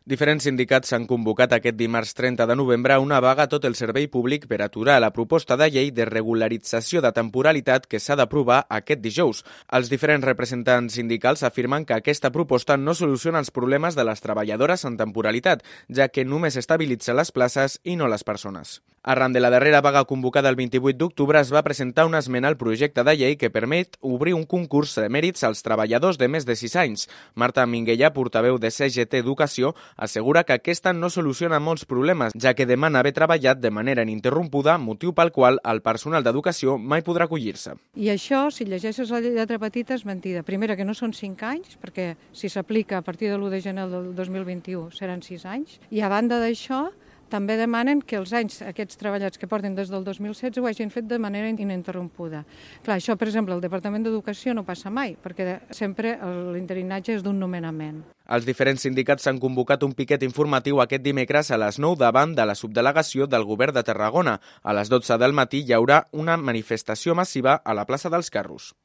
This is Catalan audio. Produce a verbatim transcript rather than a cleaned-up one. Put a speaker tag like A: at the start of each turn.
A: Diferents sindicats s'han convocat aquest dimarts trenta de novembre a una vaga a tot el servei públic per aturar la proposta de llei de regularització de temporalitat que s'ha d'aprovar aquest dijous. Els diferents representants sindicals afirmen que aquesta proposta no soluciona els problemes de les treballadores en temporalitat, ja que només estabilitza les places i no les persones. Arran de la darrera vaga convocada el vint-i-vuit d'octubre es va presentar una esmena al projecte de llei que permet obrir un concurs de mèrits als treballadors de més de sis anys. Marta Minguella, portaveu de C G T Educació, assegura que aquesta no soluciona molts problemes, ja que demana haver treballat de manera ininterrompuda, motiu pel qual el personal d'educació mai podrà acollir-se.
B: I això, si llegeixes la lletra petita, és mentida. Primera, que no són cinc anys, perquè si s'aplica a partir de l'u de gener del dos mil vint-i-u seran sis anys, i a banda d'això, també demanen que els anys aquests treballats que porten des del dos mil setze ho hagin fet de manera ininterrompuda. Clar, això, per exemple, al Departament d'Educació no passa mai, perquè sempre l'interinatge és d'un nomenament.
A: Els diferents sindicats s'han convocat un piquet informatiu aquest dimecres a les nou davant de la subdelegació del Govern de Tarragona. A les dotze del matí hi haurà una manifestació massiva a la plaça dels Carros.